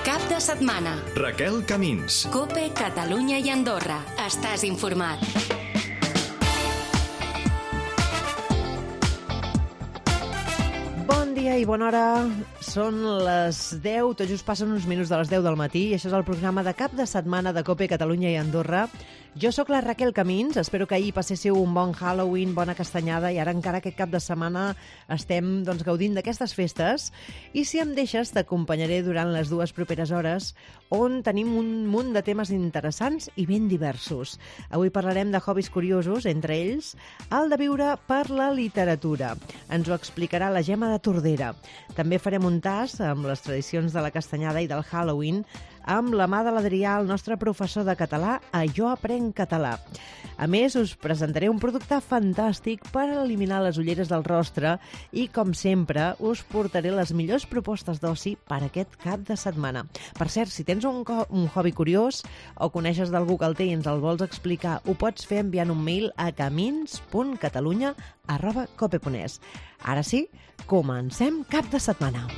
Cap de setmana. Raquel Camins. COPE, Catalunya i Andorra. Estàs informat. Bon dia i bona hora. Són les 10, tot just passen uns minuts de les 10 del matí i això és el programa de cap de setmana de COPE, Catalunya i Andorra. Jo sóc la Raquel Camins, espero que ahir passéssiu un bon Halloween, bona castanyada i ara encara aquest cap de setmana estem gaudint d'aquestes festes i si em deixes t'acompanyaré durant les 2 properes hores on tenim un munt de temes interessants i ben diversos. Avui parlarem de hobbies curiosos, entre ells el de viure per la literatura. Ens ho explicarà la Gemma de Tordera. També farem un tast amb les tradicions de la castanyada i del Halloween amb la mà de l'Adrià, el nostre professor de català a Jo Aprenc Català. A més, us presentaré un producte fantàstic per eliminar les ulleres del rostre i, com sempre, us portaré les millors propostes d'oci per aquest cap de setmana. Per cert, si tens un hobby curiós o coneixes d'algú que el té i ens el vols explicar, ho pots fer enviant un mail a camins.catalunya@cope.es. Ara sí, comencem cap de setmana.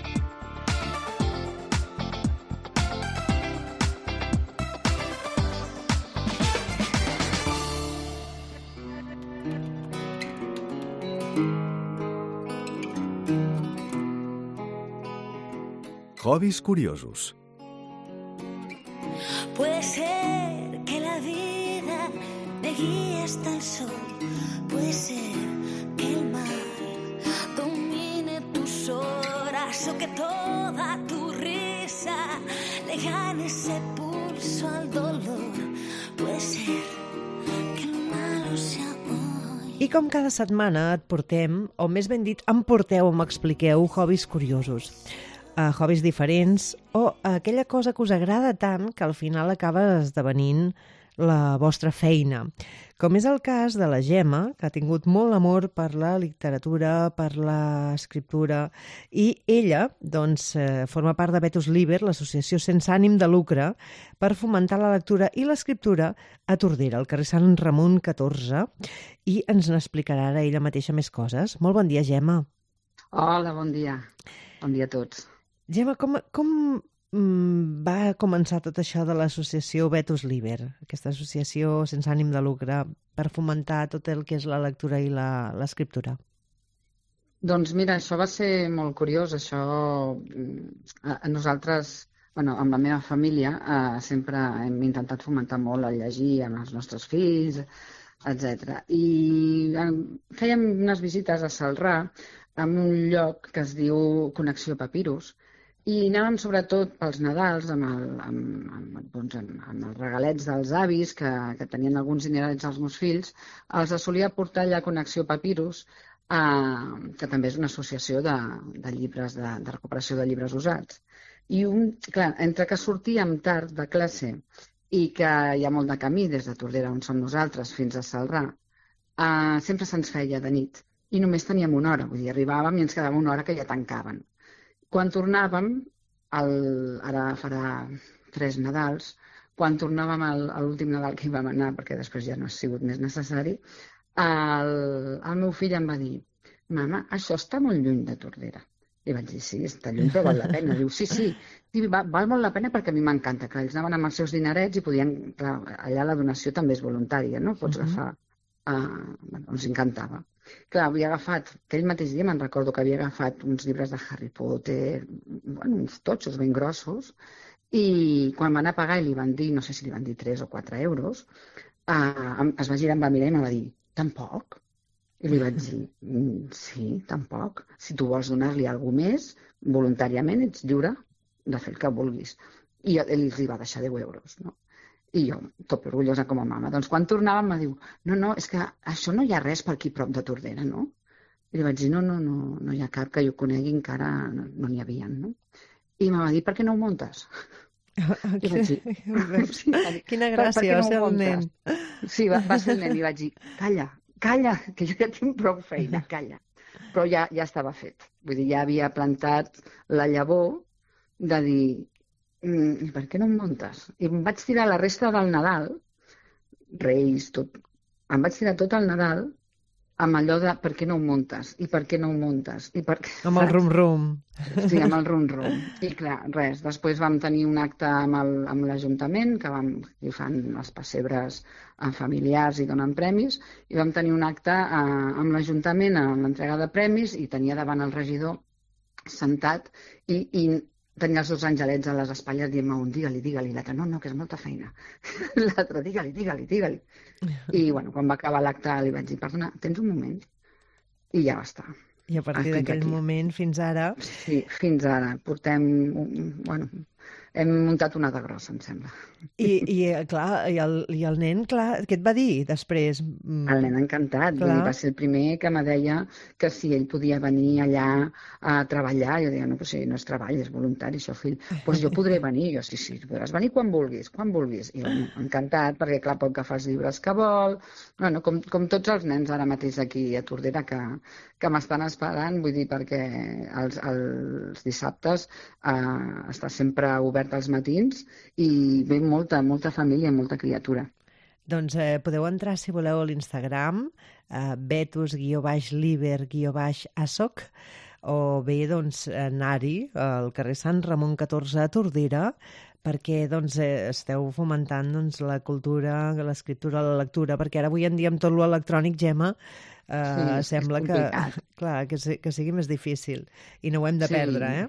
Hobbies curiosos. Puede ser que la vida me guíe hasta el sol. Puede ser que el mal domine tus horas o que toda tu risa le gane ese pulso al dolor. Puede ser que el malo sea hoy. I com cada setmana et portem, o més ben dit, em porteu o m'expliqueu hobbies curiosos. Hobbies diferents o aquella cosa que us agrada tant que al final acaba esdevenint la vostra feina. Com és el cas de la Gemma, que ha tingut molt amor per la literatura, per l'escriptura, i ella forma part de Vetus Liber, l'associació sense ànim de lucre, per fomentar la lectura i l'escriptura a Tordera, al carrer Sant Ramon 14, i ens n'explicarà ara ella mateixa més coses. Molt bon dia, Gemma. Hola, bon dia. Bon dia a tots. Gemma, com va començar tot això de l'associació Vetus Liber, aquesta associació sense ànim de lucre, per fomentar tot el que és la lectura i l'escriptura? Doncs mira, això va ser molt curiós. Això, nosaltres, amb la meva família, sempre hem intentat fomentar molt el llegir amb els nostres fills, etc. I fèiem unes visites a Celrà, en un lloc que es diu Connexió Papirus, i anàvem sobretot pels Nadals amb els regalets dels avis que tenien alguns dinerets als meus fills. Els solia portar allà a Connexió Papirus, que també és una associació de llibres, de recuperació de llibres usats. I clar, entre que sortíem tard de classe i que hi ha molt de camí des de Tordera, on som nosaltres, fins a Celrà, sempre se'ns feia de nit. I només teníem una hora, vull dir, arribàvem i ens quedava una hora que ja tancaven. Quan tornàvem, ara farà 3 Nadals, quan tornàvem a l'últim Nadal que hi vam anar, perquè després ja no ha sigut més necessari, el meu fill em va dir: mama, això està molt lluny de Tordera. I vaig dir: sí, està lluny, però val la pena. Diu: sí, val molt la pena perquè a mi m'encanta. Clar, ells anaven amb els seus dinerets i podien... Clar, allà la donació també és voluntària, no? Pots agafar... ens encantava. Clar, havia agafat, aquell mateix dia me'n recordo que havia agafat uns llibres de Harry Potter, uns totxos ben grossos, i quan van a pagar i li van dir, no sé si li van dir 3 o 4 euros, es va girar, em va mirar i em va dir: tampoc? I li vaig dir: sí, tampoc. Si tu vols donar-li alguna més, voluntàriament ets lliure de fer el que vulguis. I ell li va deixar 10 euros, no? I jo, tot orgullosa com a mama. Doncs quan tornàvem em diu: no, és que això no hi ha res per aquí prop de Tordera, no? I li vaig dir: no hi ha cap que jo conegui, encara no n'hi havia, no? I em va dir: per què no ho muntes? I vaig dir, quina gràcia, va ser el nen. Sí, va ser el nen i vaig dir: calla, que jo ja tinc prou feina, calla. Però ja estava fet. Vull dir, ja havia plantat la llavor de dir: i per què no em muntes? I em vaig tirar la resta del Nadal, Reis, tot, em vaig tirar tot el Nadal amb allò de per què no ho muntes, i per què no ho muntes, i per què... Amb el rum-rum. Sí, amb el rum-rum. I clar, res, després vam tenir un acte amb l'Ajuntament, que fan els pessebres familiars i donen premis, i vam tenir un acte amb l'Ajuntament a l'entrega de premis i tenia davant el regidor sentat i tenia els dos angelets a les espatlles dient un digue-li, l'altre, no, que és molta feina. L'altre, digue-li. I, bueno, quan va acabar l'acte li vaig dir, perdona, tens un moment? I ja va estar. I a partir d'aquell moment fins ara... Sí, fins ara. Hem muntat una de grossa, em sembla. I el nen, clar, què et va dir després? El nen encantat. Va ser el primer que me deia que si ell podia venir allà a treballar. Jo deia, no, però si no és treball, és voluntari, això, fill. Doncs jo podré venir. Jo, sí, podràs venir quan vulguis. I bueno, encantat, perquè clar, pot agafar els llibres que vol. Bueno, com tots els nens ara mateix aquí a Tordera que m'estan esperant, vull dir, perquè els dissabtes està sempre obert als matins i ve molta família, molta criatura. Doncs podeu entrar, si voleu, a l'Instagram, betus_liber_asoc, o bé, doncs, anar-hi al carrer Sant Ramon 14 a Tordera, perquè doncs, esteu fomentant doncs, la cultura, l'escriptura, la lectura, perquè ara avui en dia amb tot l'electrònic, Gemma, sembla que sigui més difícil i no ho hem de perdre, eh?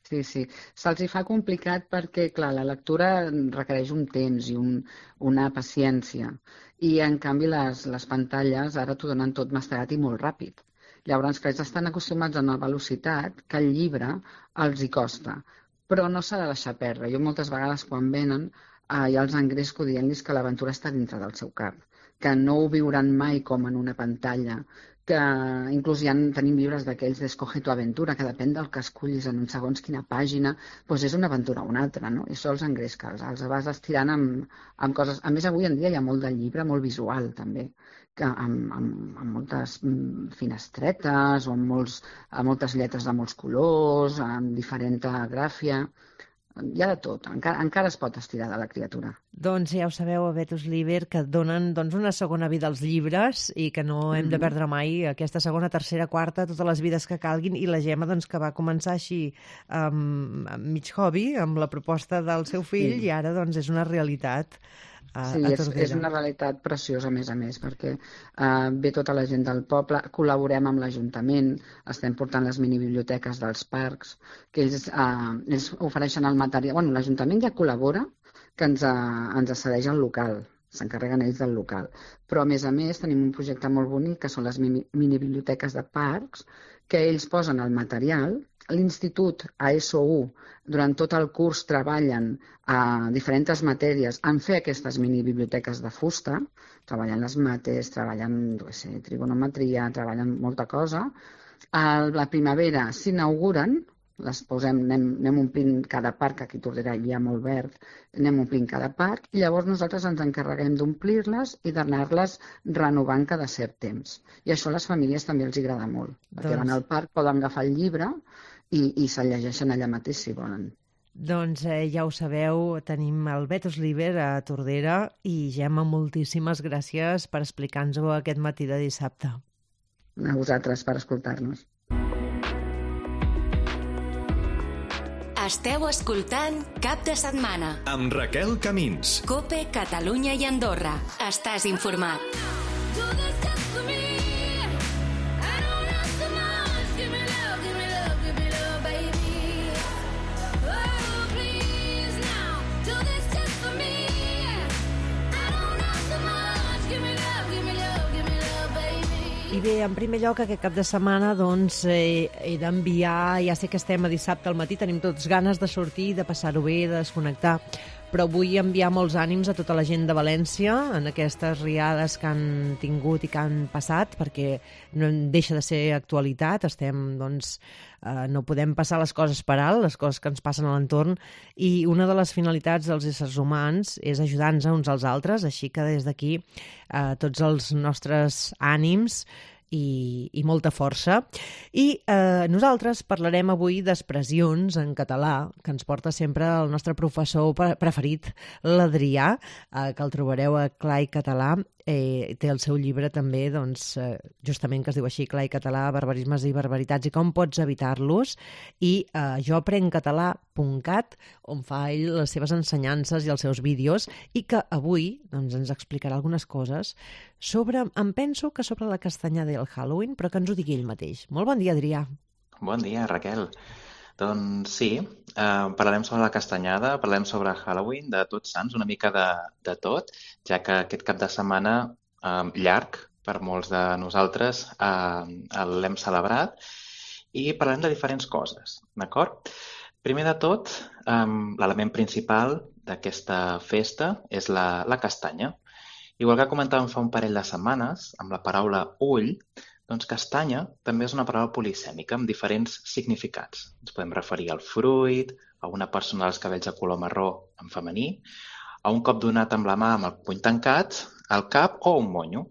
Sí. Se'ls hi fa complicat perquè, clar, la lectura requereix un temps i una paciència. I, en canvi, les pantalles ara t'ho donen tot mastegat i molt ràpid. Llavors, que ells estan acostumats a una velocitat que el llibre els hi costa. Però no s'ha de deixar perdre. Jo moltes vegades, quan venen, ja els engresco dient-los que l'aventura està dintre del seu cap, que no ho viuran mai com en una pantalla, que inclús tenim llibres d'aquells d'Escoge tu aventura, que depèn del que escollis en un segons quina pàgina, doncs és una aventura o una altra, no? I això els engresca, els vas estirant amb coses... A més, avui en dia hi ha molt de llibre, molt visual, també, que amb moltes finestretes o amb moltes lletres de molts colors, amb diferent gràfia... Hi ha de tot, encara es pot estirar de la criatura. Doncs ja ho sabeu, a Betus Liber, que donen una segona vida als llibres i que no hem de perdre mai aquesta segona, tercera, quarta, totes les vides que calguin, i la Gemma, que va començar així amb mig hobby, amb la proposta del seu fill, i ara és una realitat. Sí, és una realitat preciosa, a més, perquè ve tota la gent del poble, col·laborem amb l'Ajuntament, estem portant les minibiblioteques dels parcs, que ells ofereixen el material... Bueno, l'Ajuntament ja col·labora, que ens cedeix el local, s'encarreguen ells del local. Però, a més, tenim un projecte molt bonic, que són les minibiblioteques de parcs, que ells posen el material. L'Institut ASO1 durant tot el curs treballen a diferents matèries en fer aquestes minibiblioteques de fusta, treballen les mates, treballen trigonometria, treballen molta cosa. A la primavera s'inauguren, les posem, anem omplint cada parc, aquí a Tordera hi ha molt verd, anem omplint cada parc i llavors nosaltres ens encarreguem d'omplir-les i d'anar-les renovant cada cert temps. I això a les famílies també els agrada molt, perquè van al parc, poden agafar el llibre i se'l llegeixen allà mateix si volen. Doncs ja ho sabeu, tenim el Betus Liber a Tordera i Gemma, moltíssimes gràcies per explicar-nos-ho aquest matí de dissabte. A vosaltres per escoltar-nos. Esteu escoltant Cap de Setmana amb Raquel Camins. COPE, Catalunya i Andorra. Estàs informat. I bé, en primer lloc, aquest cap de setmana he d'enviar, ja sé que estem a dissabte al matí, tenim tots ganes de sortir, de passar-ho bé, de desconnectar, però vull enviar molts ànims a tota la gent de València en aquestes riades que han tingut i que han passat, perquè no deixa de ser actualitat, no podem passar les coses per alt, les coses que ens passen a l'entorn, i una de les finalitats dels éssers humans és ajudar-nos uns als altres, així que des d'aquí tots els nostres ànims i molta força. I nosaltres parlarem avui d'expressions en català, que ens porta sempre el nostre professor preferit, l'Adrià, que el trobareu a Clar i Català. Té el seu llibre també, doncs, justament que es diu així, Clar i Català, barbarismes i barbaritats i com pots evitar-los, i joaprencatalà.cat, on fa ell les seves ensenyances i els seus vídeos, i que avui doncs, ens explicarà algunes coses sobre, em penso que sobre la castanyada i el Halloween, però que ens ho digui ell mateix. Molt bon dia, Adrià. Bon dia, Raquel. Doncs sí, parlarem sobre la castanyada, parlarem sobre Halloween, de Tots Sants, una mica de tot, ja que aquest cap de setmana llarg per molts de nosaltres l'hem celebrat i parlarem de diferents coses, d'acord? Primer de tot, l'element principal d'aquesta festa és la castanya. Igual que comentàvem fa un parell de setmanes, amb la paraula ull, doncs castanya també és una paraula polisèmica amb diferents significats. Ens podem referir al fruit, a una persona dels cabells de color marró en femení, a un cop donat amb la mà amb el puny tancat, al cap o un monyo.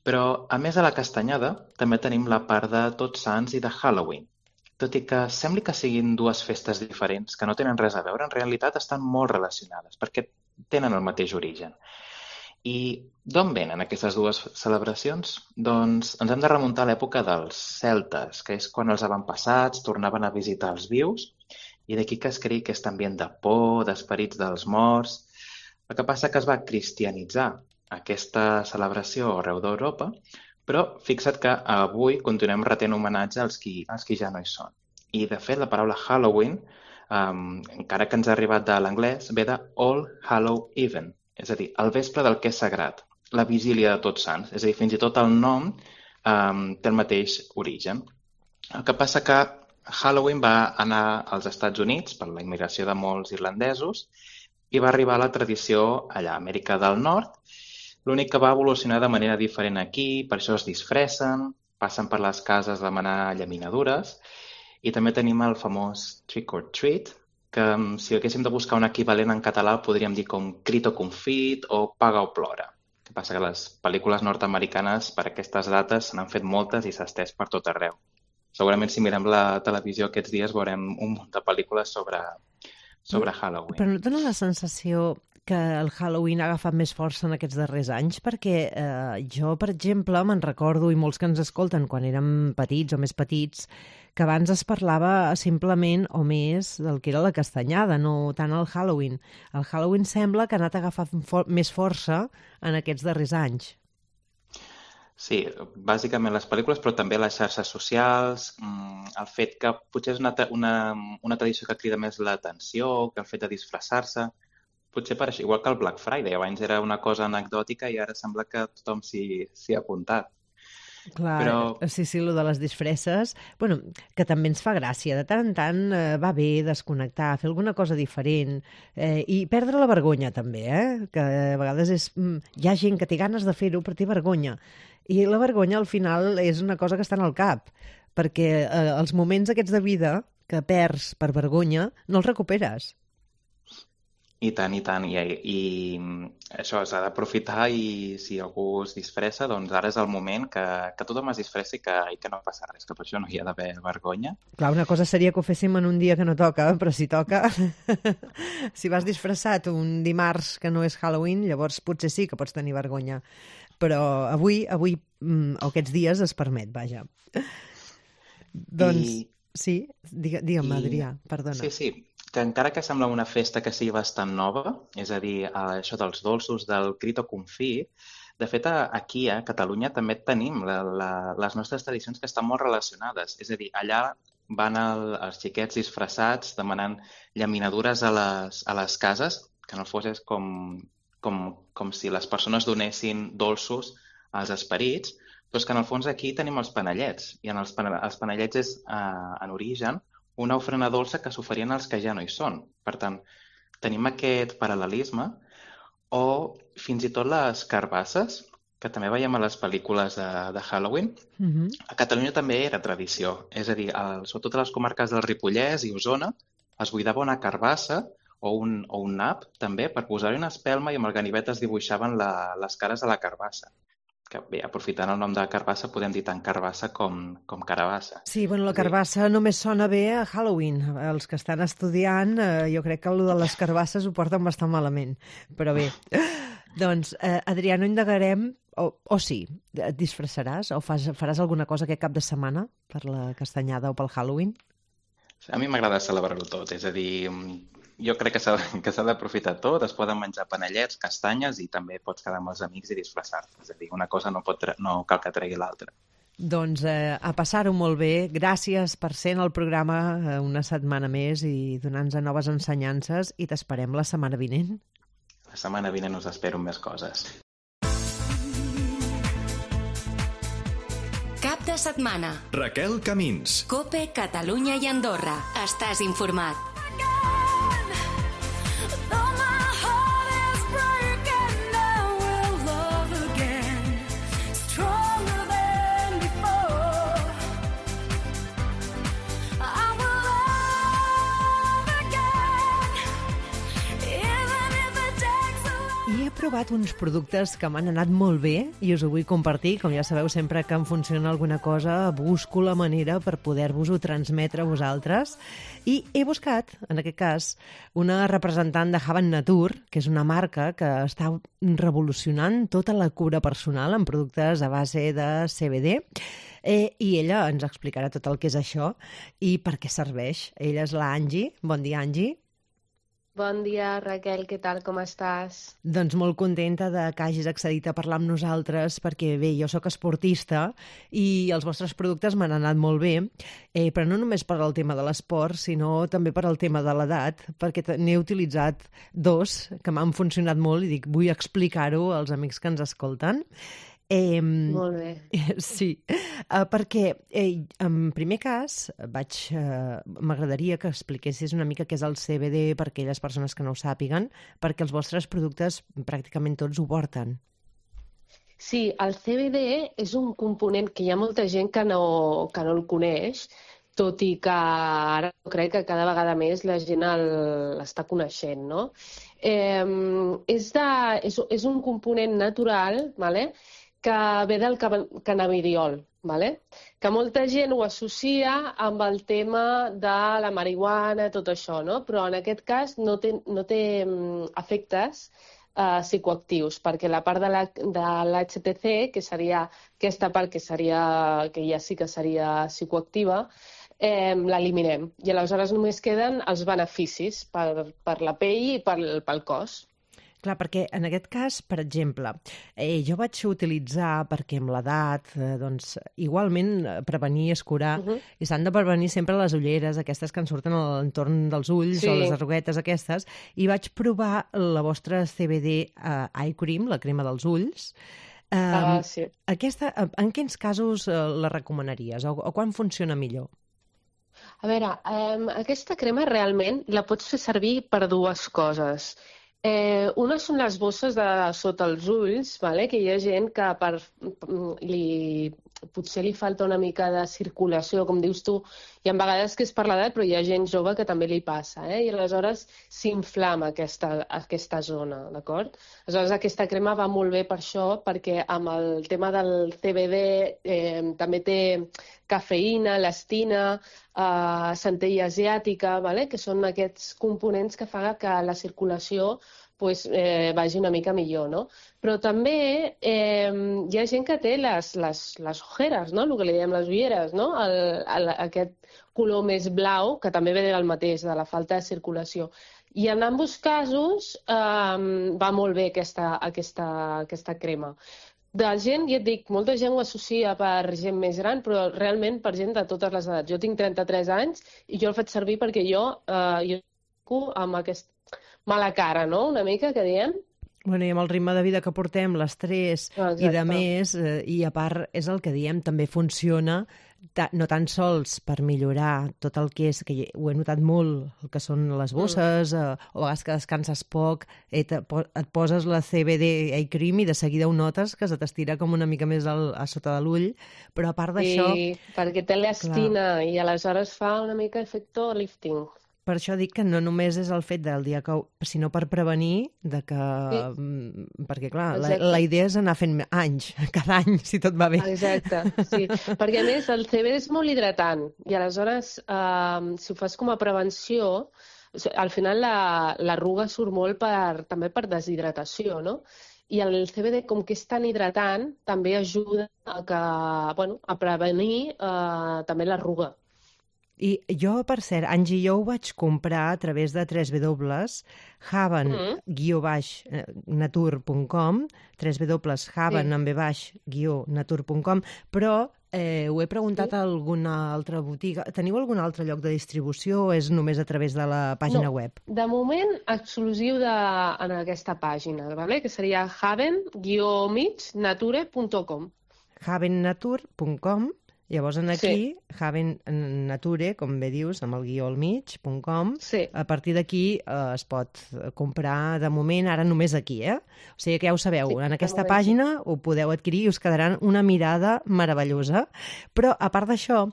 Però, a més de la castanyada, també tenim la part de Tots Sants i de Halloween. Tot i que sembli que siguin dues festes diferents, que no tenen res a veure, en realitat estan molt relacionades, perquè tenen el mateix origen. I d'on venen aquestes dues celebracions? Doncs ens hem de remuntar a l'època dels celtes, que és quan els avantpassats tornaven a visitar els vius, i d'aquí que es creï aquest ambient de por, d'esperits dels morts. El que passa que es va cristianitzar aquesta celebració arreu d'Europa, però fixa't que avui continuem retent homenatge als qui ja no hi són. I, de fet, la paraula Halloween, encara que ens ha arribat de l'anglès, ve de All Hallow Even, és a dir, el vespre del que és sagrat, la vigília de Tots Sants. És a dir, fins i tot el nom té el mateix origen. El que passa que Halloween va anar als Estats Units per la immigració de molts irlandesos i va arribar a la tradició allà a Amèrica del Nord. L'únic que va evolucionar de manera diferent aquí, per això es disfressen, passen per les cases a demanar llaminadures i també tenim el famós trick or treat, que si haguéssim de buscar un equivalent en català podríem dir com crit o confit o paga o plora. El que passa que les pel·lícules nord-americanes per aquestes dates se n'han fet moltes i s'ha estès per tot arreu. Segurament si mirem la televisió aquests dies veurem un munt de pel·lícules sobre Halloween. Però no et dona la sensació que el Halloween ha agafat més força en aquests darrers anys? Perquè jo, per exemple, me'n recordo, i molts que ens escolten quan érem petits o més petits, que abans es parlava simplement o més del que era la castanyada, no tant el Halloween. El Halloween sembla que ha anat agafant més força en aquests darrers anys. Sí, bàsicament les pel·lícules, però també les xarxes socials, el fet que potser és una tradició que crida més l'atenció, que el fet de disfressar-se, potser per això, igual que el Black Friday, abans era una cosa anecdòtica i ara sembla que tothom s'hi ha apuntat. Clar, però... sí, lo de les disfresses, bueno, que també ens fa gràcia. De tant en tant va bé desconnectar, fer alguna cosa diferent i perdre la vergonya també, que a vegades hi ha gent que té ganes de fer-ho però té vergonya. I la vergonya al final és una cosa que està en el cap, perquè els moments aquests de vida que perds per vergonya no els recuperes. I tant, i tant. I això s'ha d'aprofitar i si algú es disfressa, doncs ara és el moment que tothom es disfressi i que no passa res, que per això no hi ha d'haver vergonya. Clar, una cosa seria que ho féssim en un dia que no toca, però si toca, si vas disfressat un dimarts que no és Halloween, llavors potser sí que pots tenir vergonya. Però avui aquests dies es permet, vaja. Doncs, sí, digue'm, Adrià, perdona. Sí, que encara que sembla una festa que sigui bastant nova, és a dir, això dels dolços, del crit o confit, de fet, aquí a Catalunya també tenim les nostres tradicions que estan molt relacionades. És a dir, allà van els xiquets disfressats demanant llaminadures a les cases, que en el fons és com si les persones donessin dolços als esperits, però és que en el fons aquí tenim els panellets, i els panellets és, en origen, una ofrena dolça que s'oferien als que ja no hi són. Per tant, tenim aquest paral·lelisme o fins i tot les carbasses, que també veiem a les pel·lícules de Halloween. A Catalunya també era tradició. És a dir, sobretot a les comarques del Ripollès i Osona es buidava una carbassa o un nap també per posar-hi una espelma i amb el ganivet es dibuixaven les cares de la carbassa. que bé, aprofitant el nom de carbassa, podem dir tant carbassa com carabassa. Sí, bueno, la carbassa només sona bé a Halloween. Els que estan estudiant, jo crec que el de les carbasses ho porten bastant malament. Però bé, doncs, Adrià, no indagarem, o sí, et disfressaràs o faràs alguna cosa aquest cap de setmana per la castanyada o pel Halloween? A mi m'agrada celebrar-ho tot, és a dir, jo crec que s'ha d'aprofitar tot, es poden menjar panellets, castanyes i també pots quedar amb els amics i disfressar-te. És a dir, una cosa no cal que tregui l'altra. Doncs a passar-ho molt bé. Gràcies per ser en el programa una setmana més i donar-nos noves ensenyances i t'esperem la setmana vinent. La setmana vinent us espero amb més coses. Cap de setmana. Raquel Camins. COPE, Catalunya i Andorra. Estàs informat. He provat uns productes que m'han anat molt bé i us ho vull compartir. Com ja sabeu, sempre que em funciona alguna cosa busco la manera per poder-vos-ho transmetre a vosaltres. I he buscat, en aquest cas, una representant de Haven Nature, que és una marca que està revolucionant tota la cura personal amb productes a base de CBD. I ella ens explicarà tot el que és això i per què serveix. Ella és la Angie. Bon dia, Angie. Bon dia, Raquel, què tal, com estàs? Doncs molt contenta de que hagis accedit a parlar amb nosaltres perquè, bé, jo sóc esportista i els vostres productes m'han anat molt bé, però no només per al tema de l'esport, sinó també per al tema de l'edat, perquè n'he utilitzat dos que m'han funcionat molt i dic, vull explicar-ho als amics que ens escolten. Molt bé. Sí, perquè en primer cas m'agradaria que expliquessis una mica què és el CBD per aquelles persones que no ho sàpiguen, perquè els vostres productes pràcticament tots ho porten. Sí, el CBD és un component que hi ha molta gent que no el coneix, tot i que ara crec que cada vegada més la gent l'està coneixent, no? És un component natural, vale? Que ve del cannabidiol, vale? Que molta gent ho associa amb el tema de la marihuana, tot això, no? Però en aquest cas no té efectes psicoactius, perquè la part de l'HTC, que seria aquesta part que ja sí que seria psicoactiva, l'eliminem. I aleshores només queden els beneficis per la pell i pel cos. Clar, perquè en aquest cas, per exemple, jo vaig utilitzar, perquè amb l'edat, doncs, igualment prevenir és curar, i s'han de prevenir sempre les ulleres, aquestes que ens surten a l'entorn dels ulls, sí, o les arruguetes aquestes, i vaig provar la vostra CBD Eye Cream, la crema dels ulls. Sí. Aquesta, en quins casos la recomanaries, o quan funciona millor? A veure, aquesta crema realment la pots fer servir per dues coses. Una són les bosses de sota els ulls, vale? Que hi ha gent que potser li falta una mica de circulació, com dius tu, i a vegades que és per l'edat, però hi ha gent jove que també li passa, i aleshores s'inflama aquesta zona, d'acord? Aleshores aquesta crema va molt bé per això, perquè amb el tema del CBD també té cafeïna, elastina, centella asiàtica, vale? Que són aquests components que fan que la circulació vagi una mica millor, no? Però també hi ha gent que té les ojeres, no? El que li diem les ulleres, no? Aquest color més blau, que també ve del mateix, de la falta de circulació. I en ambos casos va molt bé aquesta crema. De gent, ja et dic, molta gent ho associa per gent més gran, però realment per gent de totes les edats. Jo tinc 33 anys i jo el faig servir perquè jo amb aquesta mala cara, no?, una mica, que diem. Bueno, i amb el ritme de vida que portem, l'estrès i de més, i a part és el que diem, també funciona no tan sols per millorar tot el que és, que ho he notat molt, el que són les bosses, o a vegades que descanses poc, et poses la CBD Eye Cream i de seguida ho notes que se t'estira com una mica més a sota de l'ull, però a part d'això... Sí, perquè té elastina i aleshores fa una mica efecte lifting. Per això dic que no només és el fet del dia que... sinó per prevenir de que... Sí. Perquè, clar, Exacte. la idea és anar fent anys, cada any, si tot va bé. Exacte, sí. Perquè, a més, el CBD és molt hidratant i, aleshores, si ho fas com a prevenció, al final l'arruga surt molt també per deshidratació, no? I el CBD, com que és tan hidratant, també ajuda a prevenir també l'arruga. I jo, per cert, Angie, jo ho vaig comprar a través de www.haven-natur.com, www.haven-natur.com, però ho he preguntat a alguna altra botiga. Teniu algun altre lloc de distribució o és només a través de la pàgina web? De moment, exclusiu en aquesta pàgina, ¿vale? Que seria haven-nature.com. havennatur.com. Llavors, aquí, Haven Nature, com bé dius, amb el guió al mig.com, sí. A partir d'aquí es pot comprar, de moment, ara només aquí, O sigui que ja ho sabeu, sí, en aquesta pàgina ho podeu adquirir i us quedaran una mirada meravellosa. Però, a part d'això,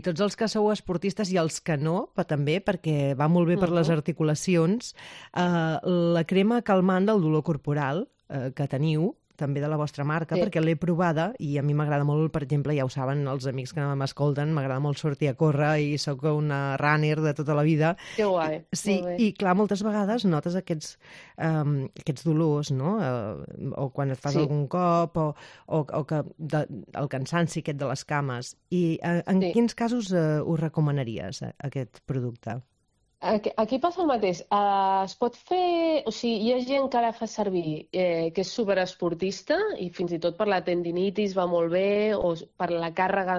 tots els que sou esportistes i els que no, però també, perquè va molt bé per les articulacions, la crema calmant del dolor corporal que teniu, també de la vostra marca, sí. Perquè l'he provada i a mi m'agrada molt, per exemple, ja ho saben els amics que m'escolten, m'agrada molt sortir a córrer i sóc una runner de tota la vida. Que guai. Sí, i clar, moltes vegades notes aquests dolors, no? O quan et fas algun cop, o que el cansanci aquest de les cames. I en quins casos ho recomanaries, aquest producte? Aquí passa el mateix. Es pot fer... O sigui, hi ha gent que la fa servir que és superesportista i fins i tot per la tendinitis va molt bé o per la càrrega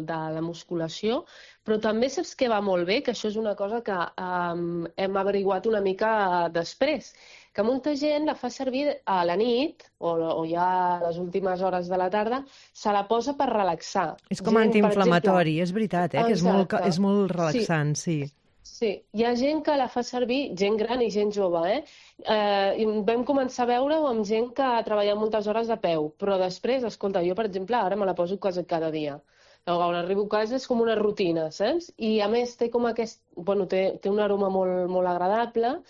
de la musculació, però també saps que va molt bé, que això és una cosa que hem averiguat una mica després, que molta gent la fa servir a la nit o ja a les últimes hores de la tarda, se la posa per relaxar. És com antiinflamatori, és veritat, que és molt relaxant, sí. Sí, hi ha gent que la fa servir, gent gran i gent jove, I vam començar a veure-ho amb gent que treballa moltes hores de peu, però després, escolta, jo, per exemple, ara me la poso quasi cada dia. Quan arribo a casa és com una rutina, saps? I, a més, té com aquest... Bueno, té un aroma molt agradable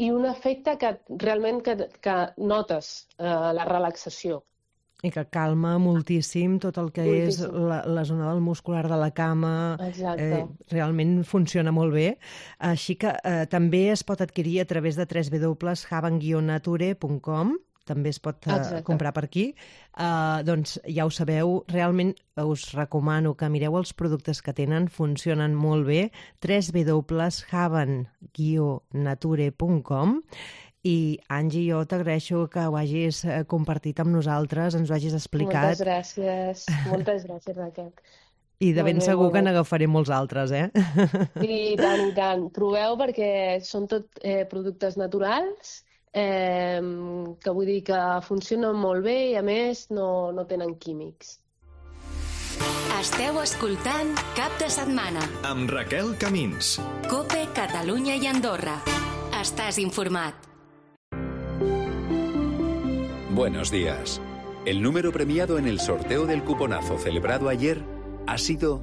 i un efecte que realment que notes la relaxació. I que calma moltíssim tot el que és la zona del muscular de la cama. Realment funciona molt bé. Així que també es pot adquirir a través de www.haven-nature.com. També es pot comprar per aquí. Doncs ja ho sabeu, realment us recomano que mireu els productes que tenen, funcionen molt bé. www.haven-nature.com. I, Angie, jo t'agraeixo que ho hagis compartit amb nosaltres, ens ho hagis explicat. Moltes gràcies, Raquel. I de ben segur que n'agafaré molts altres, I tant. Proveu perquè són tot productes naturals, que vull dir que funcionen molt bé i, a més, no tenen químics. Esteu escoltant Cap de Setmana. Amb Raquel Camins. COPE, Catalunya i Andorra. Estàs informat. Buenos días. El número premiado en el sorteo del cuponazo celebrado ayer ha sido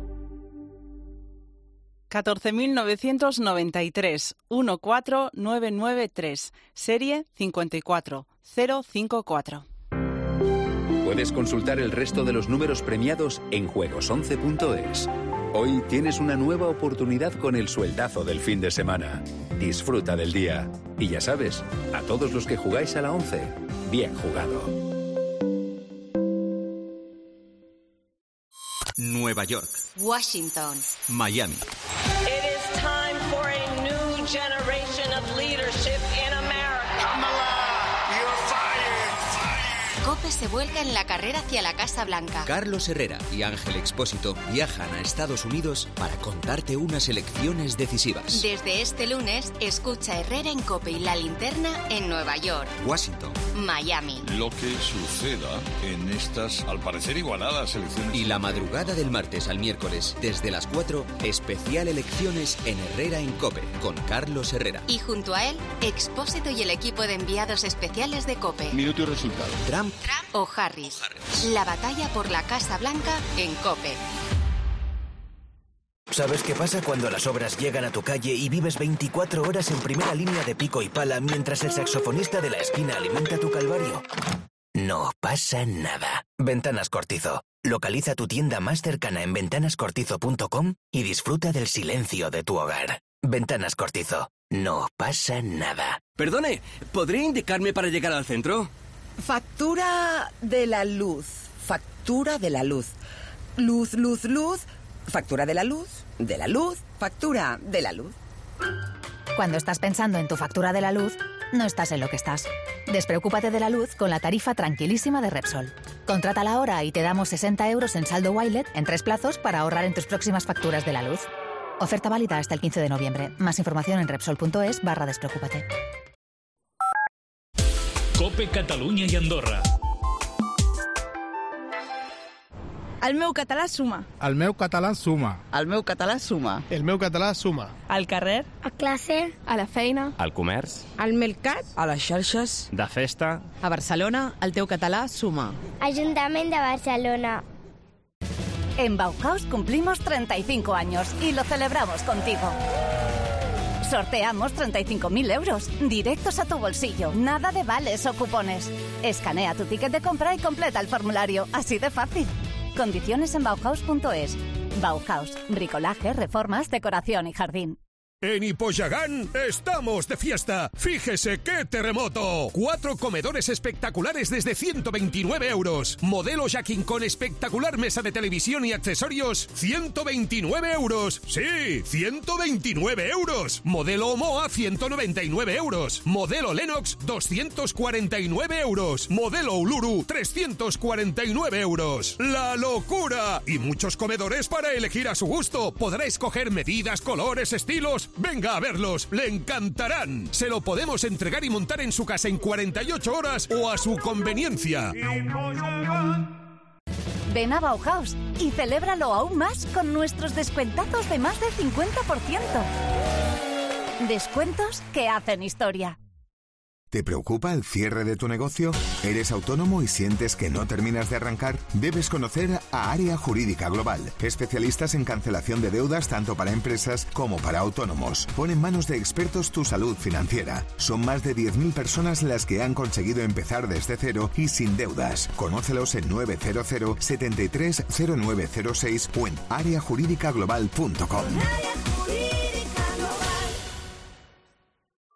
14.993 14993, serie 54054. Puedes consultar el resto de los números premiados en juegos11.es. Hoy tienes una nueva oportunidad con el sueldazo del fin de semana. Disfruta del día. Y ya sabes, a todos los que jugáis a la 11, bien jugado. Nueva York. Washington. Miami. It is time for a new generation of leadership in America. Kamala, you're fired. COPE se vuelca en la carrera hacia la Casa Blanca. Carlos Herrera y Ángel Expósito viajan a Estados Unidos para contarte unas elecciones decisivas. Desde este lunes, escucha Herrera en COPE y La Linterna en Nueva York, Washington, Miami. Lo que suceda en estas, al parecer, igualadas elecciones. Y la madrugada del martes al miércoles, desde las 4, especial elecciones en Herrera en COPE, con Carlos Herrera. Y junto a él, Expósito y el equipo de enviados especiales de COPE. Minuto y resultado. Trump o Harris. La batalla por la Casa Blanca en COPE. ¿Sabes qué pasa cuando las obras llegan a tu calle y vives 24 horas en primera línea de pico y pala mientras el saxofonista de la esquina alimenta tu calvario? No pasa nada. Ventanas Cortizo. Localiza tu tienda más cercana en ventanascortizo.com y disfruta del silencio de tu hogar. Ventanas Cortizo. No pasa nada. Perdone, ¿podría indicarme para llegar al centro? Factura de la luz. Factura de la luz. Luz, luz, luz. Factura de la luz. De la luz. Factura de la luz. Cuando estás pensando en tu factura de la luz, no estás en lo que estás. Despreocúpate de la luz con la tarifa tranquilísima de Repsol. Contrátala ahora y te damos 60 euros en saldo Wilet en 3 plazos para ahorrar en tus próximas facturas de la luz. Oferta válida hasta el 15 de noviembre. Más información en Repsol.es/despreocúpate. COPE Catalunya i Andorra. El meu català suma. El meu català suma. El meu català suma. El meu català suma. Al carrer. A classe. A la feina. Al comerç. Al mercat. A les xarxes. De festa. A Barcelona, el teu català suma. Ajuntament de Barcelona. En Bauhaus cumplimos 35 años y lo celebramos contigo. Sorteamos 35.000 euros, directos a tu bolsillo, nada de vales o cupones. Escanea tu ticket de compra y completa el formulario, así de fácil. Condiciones en Bauhaus.es. Bauhaus, bricolaje, reformas, decoración y jardín. En Hipoyagán estamos de fiesta. Fíjese qué terremoto. 4 comedores espectaculares desde 129 euros. Modelo Jacking con espectacular mesa de televisión y accesorios, 129 euros. Sí, 129 euros. Modelo Omoa, 199 euros. Modelo Lennox, 249 euros. Modelo Uluru, 349 euros. ¡La locura! Y muchos comedores para elegir a su gusto. Podrá escoger medidas, colores, estilos. Venga a verlos, le encantarán. Se lo podemos entregar y montar en su casa en 48 horas o a su conveniencia. Ven a Bauhaus y celébralo aún más con nuestros descuentazos de más del 50%. Descuentos que hacen historia. ¿Te preocupa el cierre de tu negocio? ¿Eres autónomo y sientes que no terminas de arrancar? Debes conocer a Área Jurídica Global, especialistas en cancelación de deudas tanto para empresas como para autónomos. Pon en manos de expertos tu salud financiera. Son más de 10.000 personas las que han conseguido empezar desde cero y sin deudas. Conócelos en 900 73 0906 o en areajurídicaglobal.com.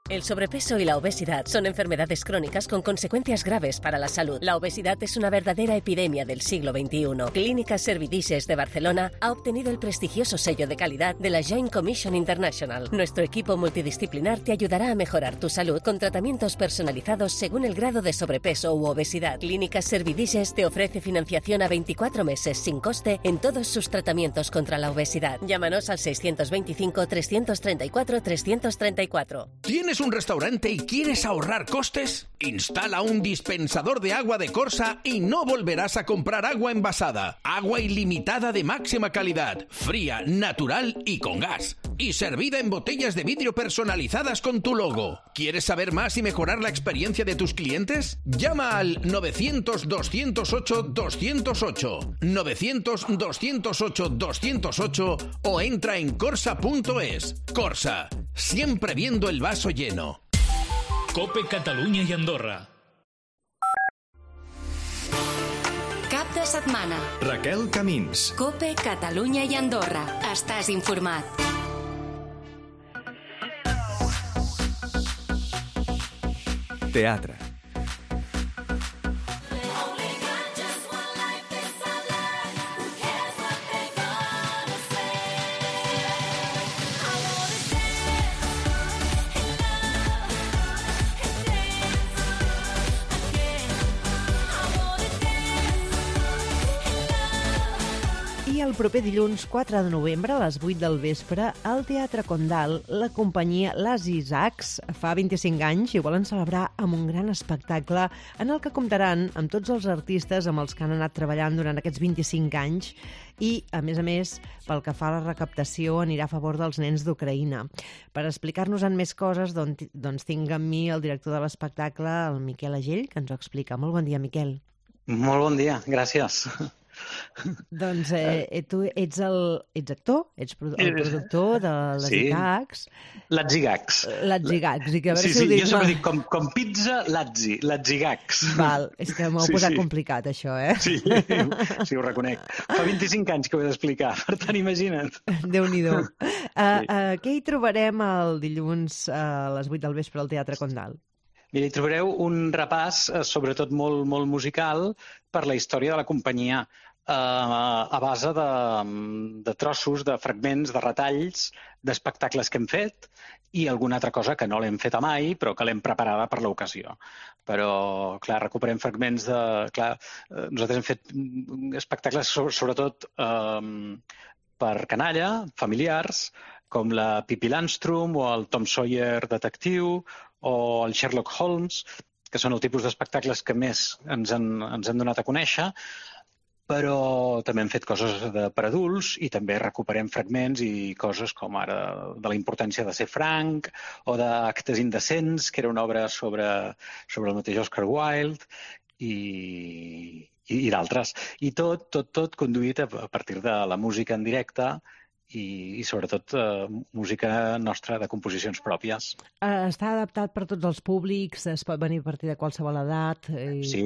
El sobrepeso y la obesidad son enfermedades crónicas con consecuencias graves para la salud. La obesidad es una verdadera epidemia del siglo XXI. Clínicas Servidices de Barcelona ha obtenido el prestigioso sello de calidad de la Joint Commission International. Nuestro equipo multidisciplinar te ayudará a mejorar tu salud con tratamientos personalizados según el grado de sobrepeso u obesidad. Clínicas Servidices te ofrece financiación a 24 meses sin coste en todos sus tratamientos contra la obesidad. Llámanos al 625 334 334. ¿Tienes un restaurante y quieres ahorrar costes? Instala un dispensador de agua de Corsa y no volverás a comprar agua envasada. Agua ilimitada de máxima calidad, fría, natural y con gas. Y servida en botellas de vidrio personalizadas con tu logo. ¿Quieres saber más y mejorar la experiencia de tus clientes? Llama al 900-208-208, 900-208-208 o entra en corsa.es. Corsa, siempre viendo el vaso lleno. COPE Catalunya i Andorra. Cap de setmana. Raquel Camins. COPE Catalunya i Andorra. Estàs informat. Teatre. El proper dilluns 4 de novembre a les 8 del vespre al Teatre Condal la companyia Les Isaacs fa 25 anys i volen celebrar amb un gran espectacle en el que comptaran amb tots els artistes amb els que han anat treballant durant aquests 25 anys i, a més, pel que fa a la recaptació anirà a favor dels nens d'Ucraïna. Per explicar-nos-en més coses, doncs tinc amb mi el director de l'espectacle, el Miquel Agell, que ens ho explica. Molt bon dia, Miquel. Molt bon dia, gràcies. Doncs tu ets actor, ets el productor de les Zigags. L'Atzigags. L'Atzigags. Jo sempre dic com pizza, l'Atzigags. Val, és que m'ho heu posat complicat, això, Sí, ho reconec. Fa 25 anys que ho he d'explicar, per tant, imagina't. Déu-n'hi-do. Què hi trobarem el dilluns a les 8 del vespre al Teatre Condal? Mira, hi trobareu un repàs, sobretot molt, molt musical, per la història de la companyia, a base de trossos, de fragments, de retalls, d'espectacles que hem fet i alguna altra cosa que no l'hem feta mai, però que l'hem preparada per l'ocasió. Però, clar, recuperem fragments de... Clar, nosaltres hem fet espectacles sobretot per canalla, familiars, com la Pippi Landstrum o el Tom Sawyer detectiu o el Sherlock Holmes, que són el tipus d'espectacles que més ens han donat a conèixer, però també hem fet coses per adults i també recuperem fragments i coses com ara de la importància de ser franc o d'Actes indecents, que era una obra sobre el mateix Oscar Wilde i d'altres. I tot conduït a partir de la música en directe i sobretot música nostra de composicions pròpies. Està adaptat per tots els públics, es pot venir a partir de qualsevol edat? Sí.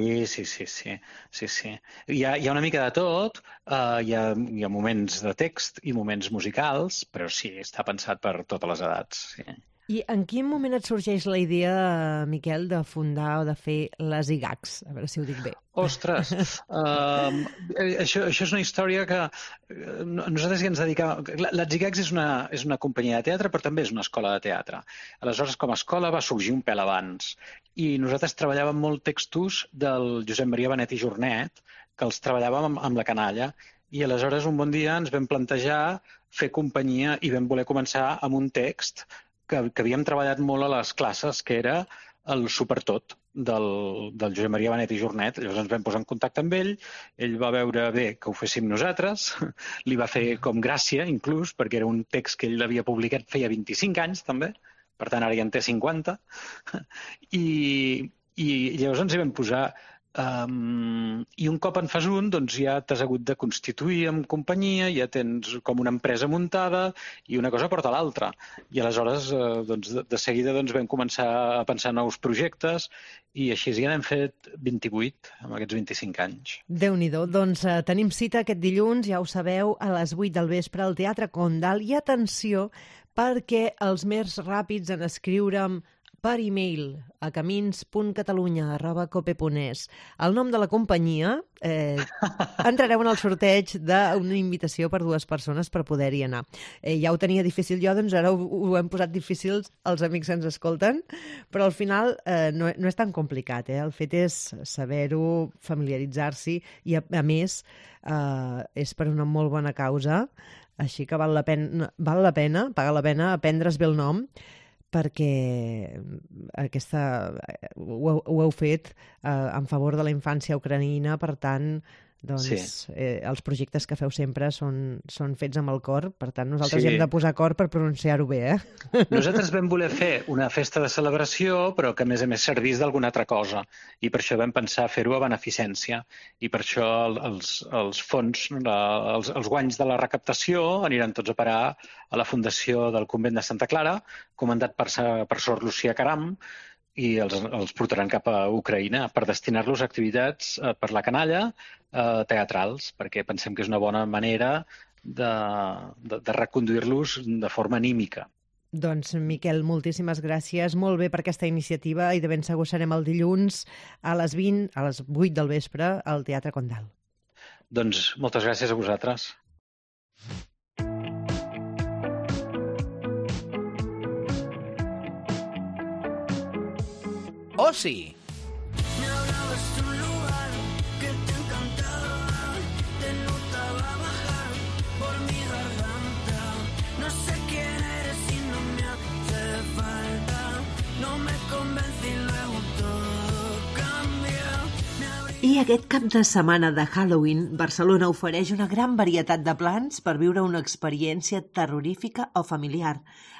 Hi ha una mica de tot, hi ha moments de text i moments musicals, però sí, està pensat per totes les edats. Sí. I en quin moment et sorgeix la idea, Miquel, de fundar o de fer les Zigags? A veure si ho dic bé. Ostres, això és una història que nosaltres ja ens dedicàvem... Les Zigags és una companyia de teatre, però també és una escola de teatre. Aleshores, com a escola va sorgir un pèl abans. I nosaltres treballàvem molt textos del Josep Maria Benet i Jornet, que els treballàvem amb la canalla. I aleshores, un bon dia, ens vam plantejar fer companyia i vam voler començar amb un text que havíem treballat molt a les classes, que era el Supertot del Josep Maria Benet i Jornet. Llavors ens vam posar en contacte amb ell va veure bé que ho féssim nosaltres, li va fer com gràcia, inclús, perquè era un text que ell havia publicat feia 25 anys, també, per tant, ara ja en té 50, i llavors ens hi vam posar. I un cop en fas un, doncs ja t'has hagut de constituir en companyia, ja tens com una empresa muntada i una cosa porta l'altra. I aleshores, de seguida vam començar a pensar nous projectes i així ja n'hem fet 28 en aquests 25 anys. Déu-n'hi-do. Doncs tenim cita aquest dilluns, ja ho sabeu, a les 8 del vespre al Teatre Condal. I atenció, perquè els més ràpids en escriure'm per e-mail a camins.catalunya@cope.es el nom de la companyia, entrareu en el sorteig d'una invitació per 2 persones per poder-hi anar. Ja ho tenia difícil jo, doncs ara ho hem posat difícil els amics que ens escolten, però al final no és tan complicat. El fet és saber-ho, familiaritzar-s'hi i, a més, és per una molt bona causa, així que paga la pena aprendre's bé el nom, perquè ho heu fet en favor de la infància ucraïna, per tant, doncs, els projectes que feu sempre són fets amb el cor, per tant, nosaltres hi hem de posar cor per pronunciar-ho bé, Nosaltres vam voler fer una festa de celebració, però que a més servís d'alguna altra cosa, i per això vam pensar fer-ho a beneficència, i per això els fons, els guanys de la recaptació aniran tots a parar a la Fundació del Convent de Santa Clara, comandat per Sor Lucía Caram, i els portaran cap a Ucraïna per destinar-los a activitats per la canalla teatrals, perquè pensem que és una bona manera de reconduir-los de forma anímica. Doncs, Miquel, moltíssimes gràcies. Molt bé per aquesta iniciativa i de ben segur serem el dilluns a les 8 del vespre al Teatre Condal. Doncs moltes gràcies a vosaltres. Oci. I aquest cap de setmana de Halloween, Barcelona ofereix una gran varietat de plans per viure una experiència terrorífica o familiar.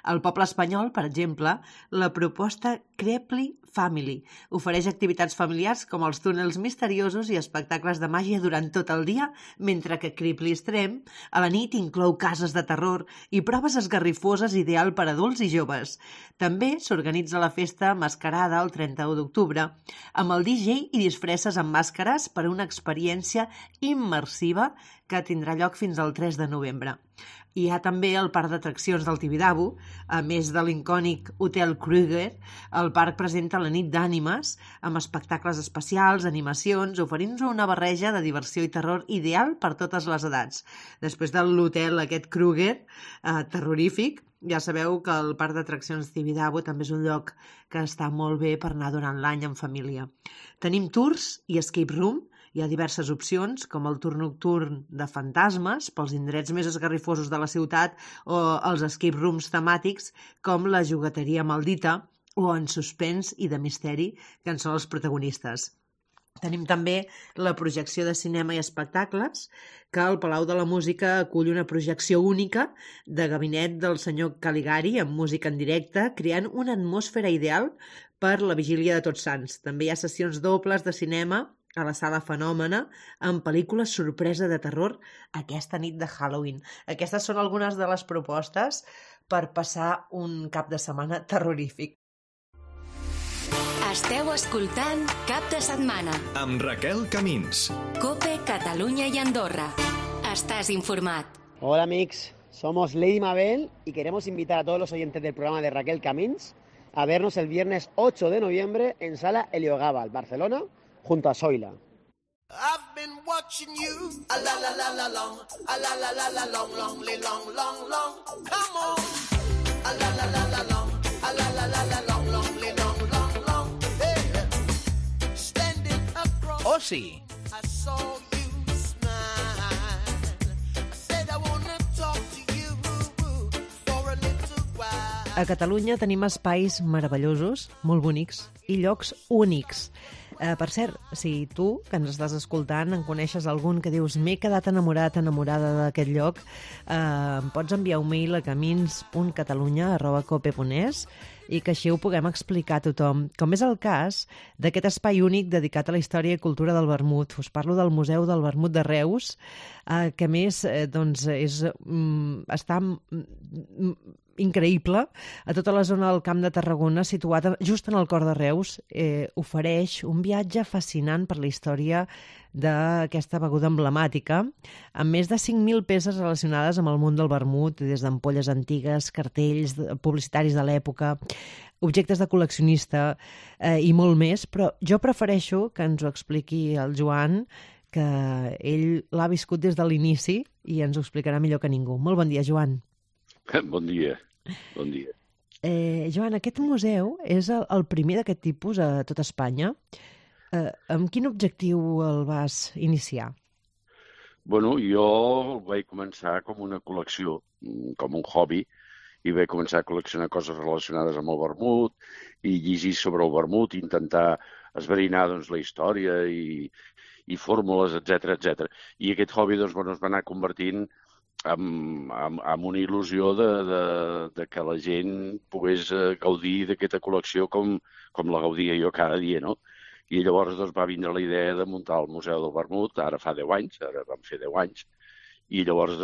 Al poble espanyol, per exemple, la proposta Creeply Family ofereix activitats familiars com els túnels misteriosos i espectacles de màgia durant tot el dia, mentre que Creeply Extreme a la nit inclou cases de terror i proves esgarrifoses ideal per adults i joves. També s'organitza la festa Mascarada el 31 d'octubre, amb el DJ i disfresses amb màscares per a una experiència immersiva que tindrà lloc fins al 3 de novembre. Hi ha també el parc d'atraccions del Tibidabo. A més de l'icònic Hotel Kruger, el parc presenta la nit d'ànimes, amb espectacles especials, animacions, oferint-nos una barreja de diversió i terror ideal per totes les edats. Després de l'hotel aquest Kruger, terrorífic, ja sabeu que el parc d'atraccions Tibidabo també és un lloc que està molt bé per anar durant l'any en família. Tenim tours i escape room. Hi ha diverses opcions, com el tour nocturn de fantasmes, pels indrets més esgarrifosos de la ciutat, o els escape rooms temàtics, com la jugueteria maldita, o en suspens i de misteri, que en són els protagonistes. Tenim també la projecció de cinema i espectacles, que el Palau de la Música acull una projecció única de gabinet del senyor Caligari amb música en directe, creant una atmosfera ideal per la vigília de Tots Sants. També hi ha sessions dobles de cinema a la Sala Fenòmena amb pel·lícules sorpresa de terror aquesta nit de Halloween. Aquestes són algunes de les propostes per passar un cap de setmana terrorífic. Esteu escoltant Cap de Setmana amb Raquel Camins. Cope, Catalunya y Andorra. Estás informat. Hola amics, somos Lady Mabel y queremos invitar a todos los oyentes del programa de Raquel Camins a vernos el viernes 8 de noviembre en Sala Heliogábal, Barcelona, junto a Zoila. I've been watching you, a la la la la long, a la la la la long, long, long, long, long. Come on, a la la la la long, a la la la la long, long, long, long, long. Hey, standing across. Oh, sí. I saw you smile. I said I wanna talk to you for a little while. A Catalunya tenim espais meravellosos, molt bonics, i llocs únics. Per cert, si tu, que ens estàs escoltant, en coneixes algun que dius m'he quedat enamorada d'aquest lloc, em pots enviar un mail a camins.catalunya@cope.es i que així ho puguem explicar a tothom. Com és el cas d'aquest espai únic dedicat a la història i cultura del vermut. Us parlo del Museu del Vermut de Reus, que a més està increïble, a tota la zona del Camp de Tarragona, situat just en el cor de Reus, ofereix un viatge fascinant per la història d'aquesta beguda emblemàtica, amb més de 5.000 peces relacionades amb el món del vermut, des d'ampolles antigues, cartells publicitaris de l'època, objectes de col·leccionista i molt més, però jo prefereixo que ens ho expliqui el Joan, que ell l'ha viscut des de l'inici i ens ho explicarà millor que ningú. Molt bon dia, Joan. Bon dia. Bon dia. Joan, aquest museu és el primer d'aquest tipus a tot Espanya. Amb quin objectiu el vas iniciar? Bueno, jo vaig començar com una col·lecció, com un hobby, i vaig començar a col·leccionar coses relacionades amb el vermut i llegir sobre el vermut, intentar esbrinar la història i fórmules, etc. I aquest hobby es va anar convertint amb una il·lusió de que la gent pogués gaudir d'aquesta col·lecció com la gaudia jo cada dia, no? I llavors va vindre la idea de muntar el Museu del Vermut, ara fa 10 anys, ara vam fer 10 anys, i llavors,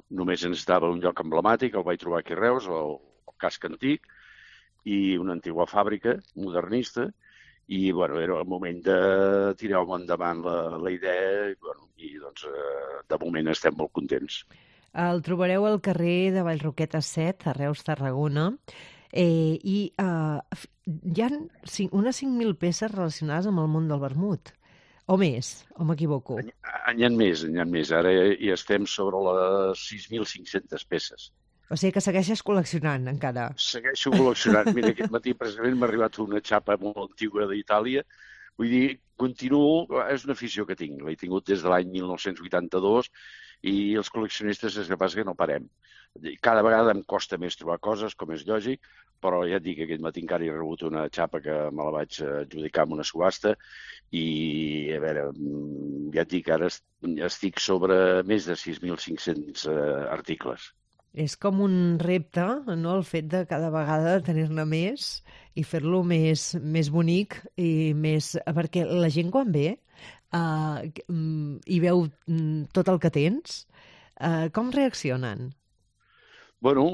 només necessitava un lloc emblemàtic, el vaig trobar aquí a Reus, el casc antic, i una antiga fàbrica modernista, i era el moment de tirar endavant la idea, i de moment estem molt contents. El trobareu al carrer de Vallroqueta 7, a Reus, Tarragona, i hi ha unes 5.000 peces relacionades amb el món del vermut. O més, o m'equivoco? N'hi ha més. Ara ja estem sobre les 6.500 peces. O sigui que segueixes col·leccionant encara. Segueixo col·leccionant. Mira, aquest matí precisament m'ha arribat una xapa molt antiga d'Itàlia. Vull dir, continuo, és una afició que tinc. L'he tingut des de l'any 1982 i els col·leccionistes és que passa que no parem. Cada vegada em costa més trobar coses, com és lògic, però ja et dic que aquest matí encara he rebut una xapa que me la vaig adjudicar amb una subhasta i, a veure, ja et dic, ara estic sobre més de 6.500 articles. És com un repte, no?, el fet de cada vegada tenir-ne més i fer-lo més bonic i més... Perquè la gent quan ve i veu tot el que tens, com reaccionen? Bueno,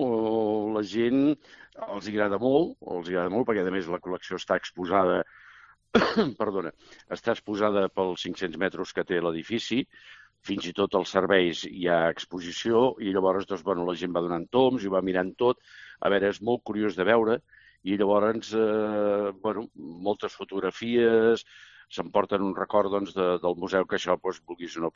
la gent els agrada molt, perquè a més la col·lecció està exposada, està exposada pels 500 metres que té l'edifici, fins i tot als serveis hi ha exposició i llavors doncs, bueno, la gent va donant toms i va mirant tot. A veure, és molt curiós de veure i llavors bueno, moltes fotografies, s'emporten un record doncs, del museu que això, doncs, vulguis o no,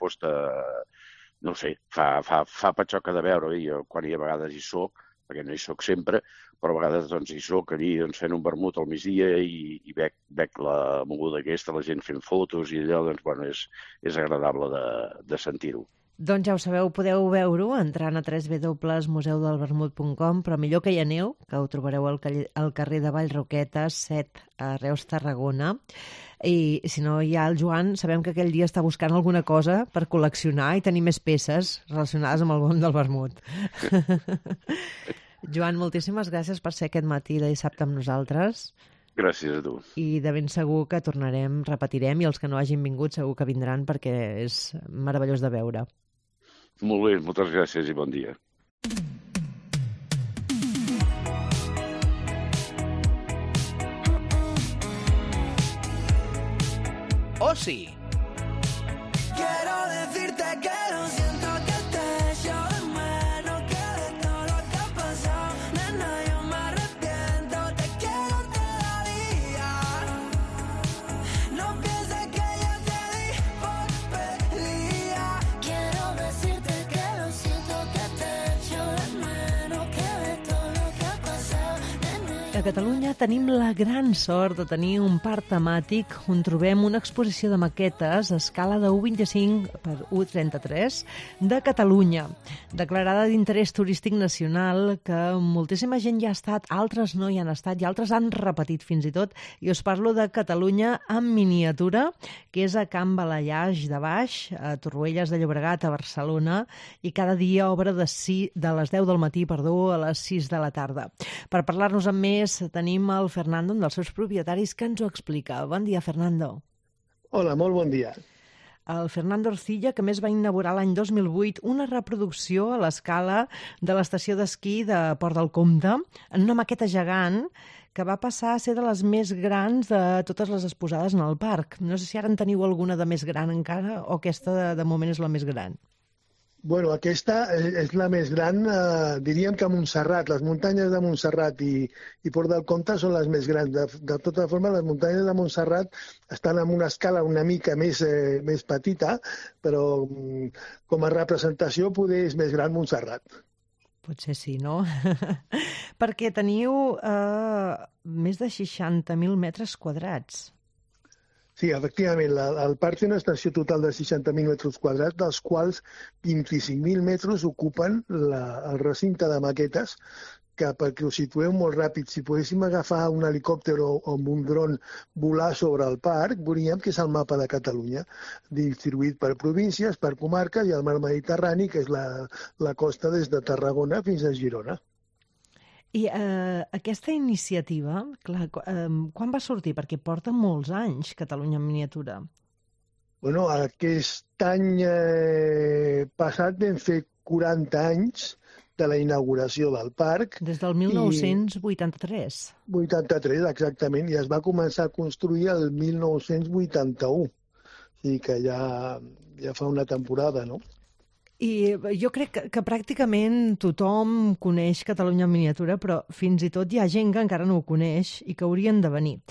no sé, fa patxoca de veure. Jo quan a vegades hi soc, perquè no hi soc sempre, però a vegades doncs, hi soc allí fent un vermut al migdia i veig la moguda aquesta, la gent fent fotos i allò, doncs, bueno, és agradable de sentir-ho. Doncs ja ho sabeu, podeu veure-ho entrant a www.museudelvermut.com, però millor que hi aneu, que ho trobareu al carrer de Vallroquetes, 7, a Reus, Tarragona. I si no hi ha el Joan, sabem que aquell dia està buscant alguna cosa per col·leccionar i tenir més peces relacionades amb el món del vermut. Joan, moltíssimes gràcies per ser aquest matí de dissabte amb nosaltres. Gràcies a tu. I de ben segur que repetirem, i els que no hagin vingut segur que vindran perquè és meravellós de veure. Molt bé, moltes gràcies i bon dia. Osi. Quiero decirte que lo siento que te echo de menos, que de todo lo que ha pasado, nena, yo me arrepiento, te quiero todavía. No pienses que ya te di por perdida. Quiero decirte que lo siento que te echo de menos, que de todo lo que ha pasado, nena. A Catalunya tenim la gran sort de tenir un parc temàtic on trobem una exposició de maquetes a escala de 1,25 per 1,33 de Catalunya, declarada d'interès turístic nacional, que moltíssima gent ja ha estat, altres no hi han estat i altres han repetit fins i tot, i us parlo de Catalunya en miniatura, que és a Can Balallaix de Baix, a Torroelles de Llobregat, a Barcelona, i cada dia obre de les 10 del matí, a les 6 de la tarda. Per parlar-nos amb més tenim el Fernando, un dels seus propietaris, que ens ho explica. Bon dia, Fernando. Hola, molt bon dia. El Fernando Orcilla, que més va inaugurar l'any 2008 una reproducció a l'escala de l'estació d'esquí de Port del Comte, en una maqueta gegant que va passar a ser de les més grans de totes les exposades en el parc. No sé si ara en teniu alguna de més gran encara o aquesta de moment és la més gran. Bueno, aquesta és la més gran, diríem que a Montserrat. Les muntanyes de Montserrat i Port del Comte són les més grans. De tota forma, les muntanyes de Montserrat estan en una escala una mica més petita, però com a representació poder és més gran Montserrat. Potser sí, no? Perquè teniu més de 60.000 metres quadrats. Sí, efectivament, el parc té una extensió total de 60.000 metres quadrats, dels quals 25.000 metres ocupen el recinte de maquetes, que perquè ho situeu molt ràpid, si poguéssim agafar un helicòpter o amb un dron volar sobre el parc, veuríem que és el mapa de Catalunya, distribuït per províncies, per comarques i el mar Mediterrani, que és la costa des de Tarragona fins a Girona. I aquesta iniciativa, clar, quan va sortir? Perquè porta molts anys Catalunya en miniatura. Bueno, aquest any passat vam fer 40 anys de la inauguració del parc. Des del 1983. 83, exactament, i es va començar a construir el 1981. O sigui que ja fa una temporada, no? I jo crec que pràcticament tothom coneix Catalunya en miniatura, però fins i tot hi ha gent que encara no ho coneix i que haurien de venir.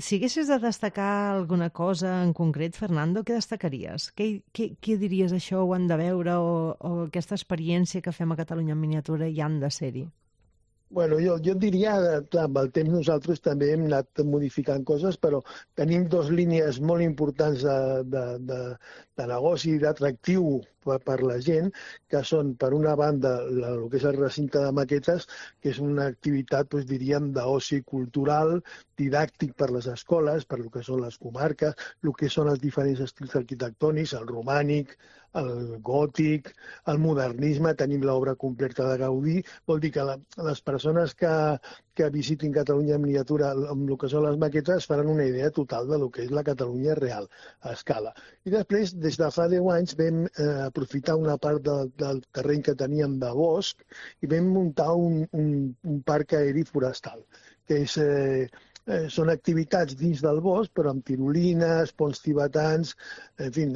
Si haguessis de destacar alguna cosa en concret, Fernando, què destacaries? Què diries això ho han de veure o aquesta experiència que fem a Catalunya en miniatura hi han de ser-hi? Bueno, jo diria, clar, amb el temps nosaltres també hem anat modificant coses, però tenim dues línies molt importants de negoci, d'atractiu per la gent, que són, per una banda, el que és el recinte de maquetes, que és una activitat, diríem, d'oci cultural, didàctic per les escoles, per el que són les comarques, el que són els diferents estils arquitectònics, el romànic, el gòtic, el modernisme, tenim l'obra completa de Gaudí. Vol dir que les persones que visitin Catalunya en miniatura amb el que són les maquetes faran una idea total de lo que és la Catalunya real, a escala. I després, des de fa 10 anys, vam aprofitar una part del terreny que teníem de bosc i vam muntar un parc aeri forestal, que és... són activitats dins del bosc, però amb tirolines, ponts tibetans, en fi,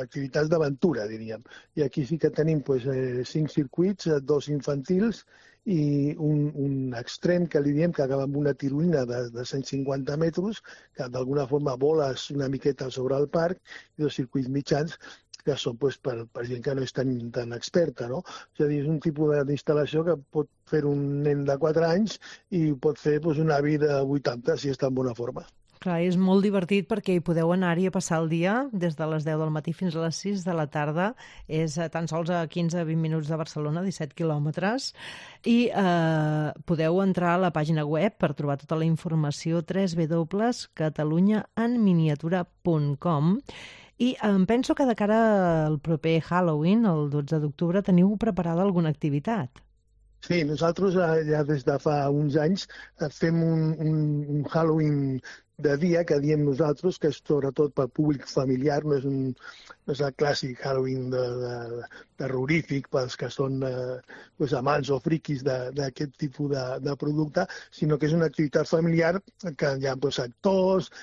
activitats d'aventura, diríem. I aquí sí que tenim 5 circuits, 2 infantils i un extrem que li diem que acaba amb una tirolina de 150 metres, que d'alguna forma voles una miqueta sobre el parc, i 2 circuits mitjans que són per gent que no és tan experta, no? És a dir, és un tipus d'instal·lació que pot fer un nen de 4 anys i pot fer una vida 80 si està en bona forma. Clar, és molt divertit perquè hi podeu anar-hi a passar el dia des de les 10 del matí fins a les 6 de la tarda. És tan sols a 15-20 minuts de Barcelona, 17 quilòmetres. I podeu entrar a la pàgina web per trobar tota la informació www.catalunyaenminiatura.com. I em penso que de cara al proper Halloween, el 12 d'octubre, teniu preparada alguna activitat. Sí, nosaltres ja des de fa uns anys fem un Halloween de dia, que diem nosaltres, que és sobretot per públic familiar, no és el clàssic Halloween terrorífic pels que són amants o friquis d'aquest tipus de producte, sinó que és una activitat familiar que hi ha actors,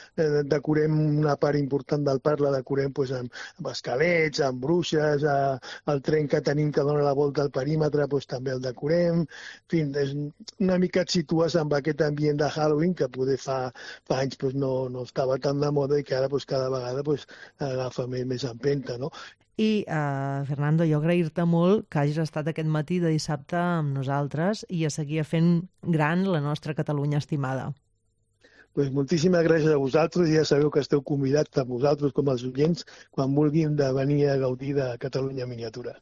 decorem una part important del parc, la decorem amb esquelets, amb bruixes, el tren que tenim que dona la volta al perímetre també el decorem, en fi, una mica et situes amb aquest ambient de Halloween que poder fa anys no estava tan de moda i que ara cada vegada agafa més empenta, no? I, Fernando, jo agrair-te molt que hagis estat aquest matí de dissabte amb nosaltres i a seguir fent gran la nostra Catalunya estimada. Moltíssimes gràcies a vosaltres i ja sabeu que esteu convidats tant vosaltres com els oients quan vulguin de venir a gaudir de Catalunya Miniatura.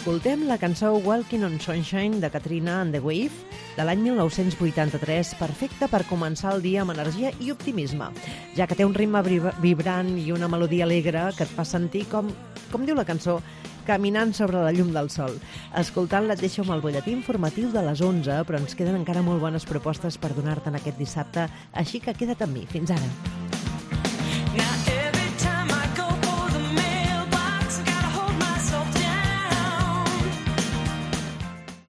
Escoltem la cançó Walking on Sunshine de Katrina and the Wave de l'any 1983, perfecta per començar el dia amb energia i optimisme, ja que té un ritme vibrant i una melodia alegre que et fa sentir com diu la cançó, caminant sobre la llum del sol. Escoltant-la et deixo amb el butlletí informatiu de les 11, però ens queden encara molt bones propostes per donar-te en aquest dissabte, així que queda't amb mi. Fins ara.